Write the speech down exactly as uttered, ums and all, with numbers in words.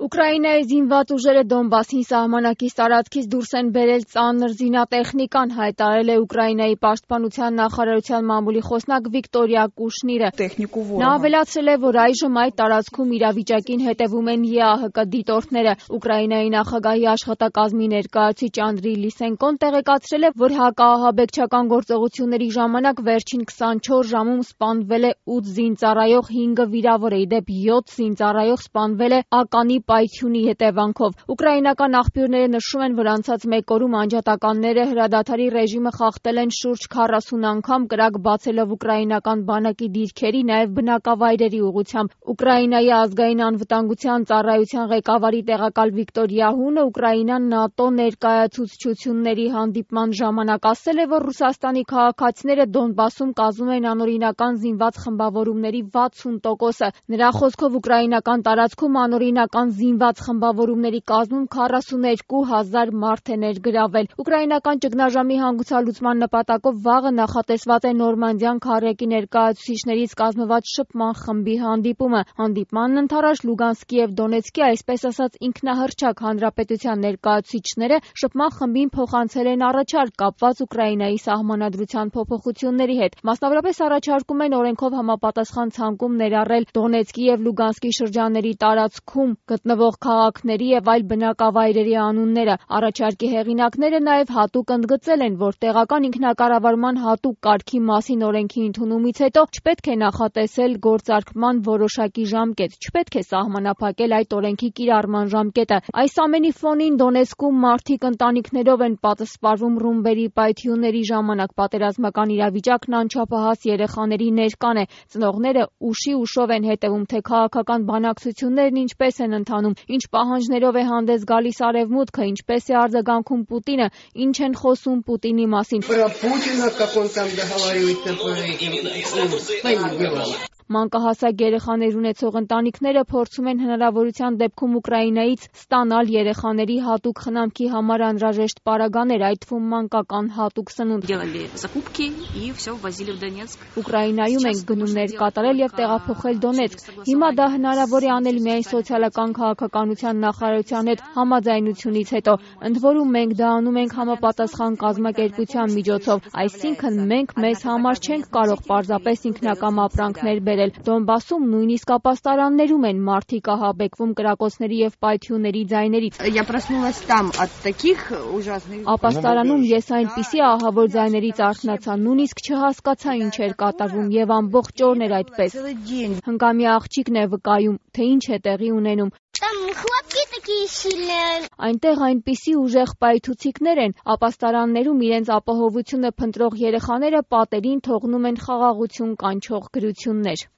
Ուկրաինայի զինված ուժերը Դոնբասի սահմանակից տարածքից դուրս են բերել ծանր զինատեխնիկան, հայտարարել է Ուկրաինայի պաշտպանության նախարարության մամուլի խոսնակ Վիկտորիա Կուշնիրը։ Նա ավելացրել է, որ այժմ այդ տարածքում իրավիճակին հետևում են Է Ա Հ Կ դիտորդները։ Ուկրաինայի նախագահի աշխատակազմի ներկայացուցիչ Անդրի Լիսենկոն տեղեկացրել է, որ հակաահաբեկչական գործողությունների ժամանակ վերջին քսանչորս ժամում սպանվել է ութ զինծառայող, հինգը վիրավոր է, ի դեպ յոթ զինծառայող սպանվել է ականի պայթյունի հետևանքով։ Ուկրաինական աղբյուրները նշում են, որ անցած մեկ օրում անջատականները հրադադարի ռեժիմը խախտել են շուրջ քառասուն անգամ, կրակ բացելով ուկրաինական բանակի դիրքերի, նաև բնակավայրերի ուղղությամբ։ Ուկրաինայի ազգային անվտանգության ծառայության ղեկավարի տեղակալ Վիկտորիա Հունը Ուկրաինան ՆԱՏՕ ներկայացուցչությունների հանդիպման ժամանակ ասել է, որ Ռուսաստանի քաղաքացիները Դոնբասում կազմում են անօրինական զինված խմբավորումների վաթսուն տոկոսը։ Նրա խոսքով ուկրաինական տարածքում անօրինական զինված խմբավորումների կազմում քառասունութ հազար մարդ է ներգրավել։ Ուկրաինական ճգնաժամի հանգուցալուծման նպատակով վաղը նախատեսված է Նորմանդիան քառյակի ներկայացուցիչներից կազմված շփման խմբի հանդիպումը։ Հանդիպմանն ընդառաջ Լուգանսկի և Դոնեցկի, այսպես ասած ինքնահռչակ հանրապետության ներկայացուցիչները շփման խմբին փոխանցել են առաջարկ կապված Ուկրաինայի սահմանադրության փոփոխությունների հետ։ Մասնավորապես առաջարկում են օրենքով համապատասխան ցանկում ներառել Դոնեցկի և Լուգանսկի շրջանների տարածքում գտնվող քաղաքների և այլ բնակավայրերի անունները։ Առաջարկի հեղինակները նաև հատուկ ընդգծել են, որ տեղական ինքնակառավարման հատուկ կարգի մասին օրենքի ընդունումից հետո չպետք է նախատեսել գործարկման որոշակի ժամկետ, չպետք է սահմանափակել այդ օրենքի կիրառման ժամկետը։ Այս ամենի ֆոնին Դոնեցկում մարդիկ ընտանիքներով են պատսպարվում ռումբերի պայթյունների ժամանակ։ Պատերազմական իրավիճակն անչափահաս երեխաների ներկան է։ Ծնողները ուշի ուշով են հետևում, թե քաղաքական բանակցություններն ինչպես են ընթանում, ինչ պահանջներով է հանդես գալիս Արևմուտքը, ինչպես է արձագանքում Պուտինը, ինչ են խոսում Պուտինի մասին։ Մանկահասակ երեխաներ ունեցող ընտանիքները փորձում են հնարավորության դեպքում Ուկրաինայից ստանալ երեխաների հատուկ խնամքի համար անհրաժեշտ պարագաներ, այդ թվում մանկական հատուկ սնունդ։ Ուկրաինայում ենք գնումներ կատարել և տեղափոխել Դոնեցկ։ Հիմա դա հնարավոր է անել միայն սոցիալական քաղաքականության նախարարության հետ համաձայնությունից հետո։ Ընդ որում մենք դա անում ենք համապատասխան կազմակերպության միջոցով, այսինքն մենք մեզ համար չենք կարող պարզապես ինքնակամ ապրանքներ բերել։ Դոնբասում նույնիսկ ապաստարաններում են մարդիկ ահաբեկվում կրակոցների և պայթյունների ձայներից։ Ապաստարանում ես այնպիսի ահավոր ձայներից արթնացա, նույնիսկ չհասկացա ինչ էր կատարվում և ամբողջ օրն էր այդպես։ Հնգամյա աղջիկն է վկայում, թե ինչ է տեղի ունենում։ Այնտեղ այնպիսի ուժեղ պայթուցիկներ են, ապաստարաններում իրենց ապահովությունը փնտրող երեխաները պատերին թողնում են խաղաղություն կանչող գրություններ։